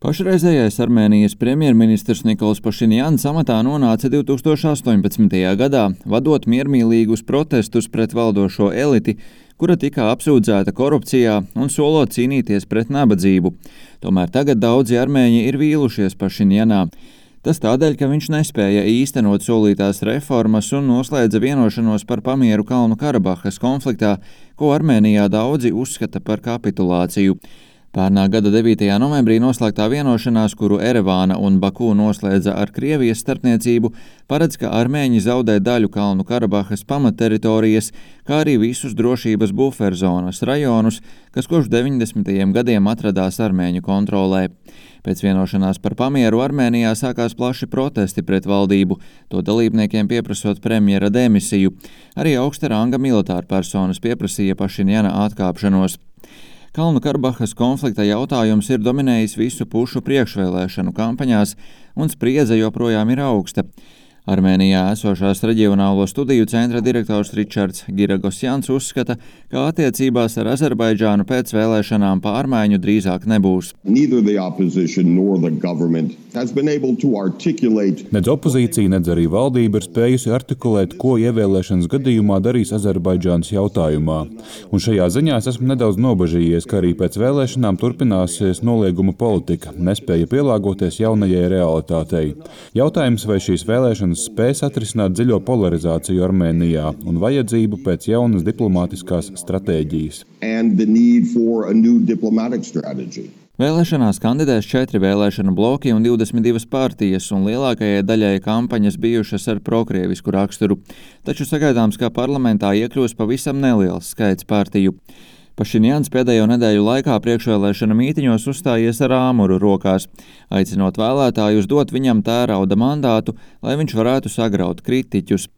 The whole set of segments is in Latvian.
Pašreizējais Armēnijas premjerministrs Nikols Pašinjans amatā nonāca 2018. gadā, vadot miermīlīgus protestus pret valdošo eliti, kura tika apsūdzēta korupcijā un solot cīnīties pret nabadzību. Tomēr tagad daudzi armēņi ir vīlušies Pašinjanā. Tas tādēļ, ka viņš nespēja īstenot solītās reformas un noslēdza vienošanos par pamieru Kalnu Karabahas konfliktā, ko Armēnijā daudzi uzskata par kapitulāciju. Pērnā gada 9. novembrī noslēgtā vienošanās, kuru Erevāna un Baku noslēdza ar Krievijas starpniecību, paredz, ka armēņi zaudē daļu Kalnu Karabahas pamatteritorijas, kā arī visus drošības buferzonas rajonus, kas kopš 90. gadiem atradās armēņu kontrolē. Pēc vienošanās par pamieru Armēnijā sākās plaši protesti pret valdību, to dalībniekiem pieprasot premjera demisiju. Arī augsta ranga militārpersonas pieprasīja Pašinjana atkāpšanos. Kalnu Karabahas konflikta jautājums ir dominējis visu pušu priekšvēlēšanu kampaņās, un spriedze joprojām ir augsta. Armēnijā esošās reģionālo studiju centra direktors Ričards Giragosjans uzskata, ka attiecībās ar Azerbaidžānu pēc vēlēšanām pārmaiņu drīzāk nebūs. Nedz opozīcija, nedz arī valdība ir spējusi artikulēt, ko ievēlēšanas gadījumā darīs Azerbaidžānas jautājumā. Un šajā ziņā es esmu nedaudz nobažījies, ka arī pēc vēlēšanām turpināsies nolieguma politika, nespēja pielāgoties jaunajai realitātei. Jautājums, vai šīs vēlēšanas spēs atrisināt dziļo polarizāciju Armēnijā un vajadzību pēc jaunas diplomātiskās stratēģijas. Vēlēšanās kandidēs 4 vēlēšanu bloki un 22 partijas, un lielākajai daļai kampaņas bijušas ar prokrievisku raksturu. Taču sagaidāms, ka parlamentā iekļūs pavisam neliels skaits partiju. Pašinjans pēdējo nedēļu laikā priekšvēlēšana mītiņos uzstājies ar āmuru rokās, aicinot vēlētājus dot viņam tērauda mandātu, lai viņš varētu sagraut kritiķus.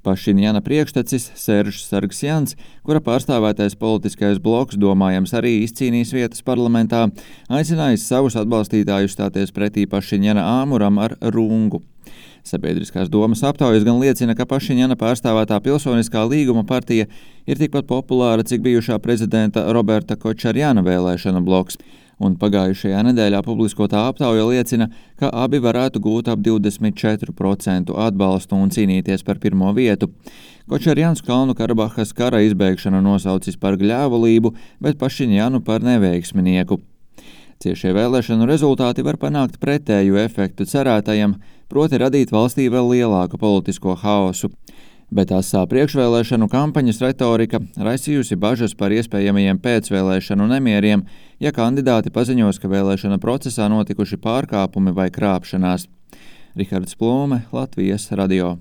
Pašinjana priekštecis Seržs Sargsjans, kura pārstāvētais politiskais bloks domājams arī izcīnīs vietas parlamentā, aicinājis savus atbalstītājus stāties pretī Pašinjana āmuram ar rungu. Sabiedriskās domas aptaujas gan liecina, ka Pašinjana pārstāvētā Pilsoniskā līguma partija ir tikpat populāra, cik bijušā prezidenta Roberta Kočarjana vēlēšana bloks, un pagājušajā nedēļā publiskotā aptauja liecina, ka abi varētu gūt ap 24% atbalstu un cīnīties par pirmo vietu. Kočarjans Kalnu Karabahas kara izbeigšanu nosaucis par gļēvulību, bet Pašinjanu par neveiksminieku. Ciešie vēlēšanu rezultāti var panākt pretēju efektu cerētajam, proti radīt valstī vēl lielāku politisko haosu. Bet asā priekšvēlēšanu kampaņas retorika raisījusi bažas par iespējamajiem pēcvēlēšanu nemieriem, ja kandidāti paziņos, ka vēlēšana procesā notikuši pārkāpumi vai krāpšanās. Rihards Plūme, Latvijas radio.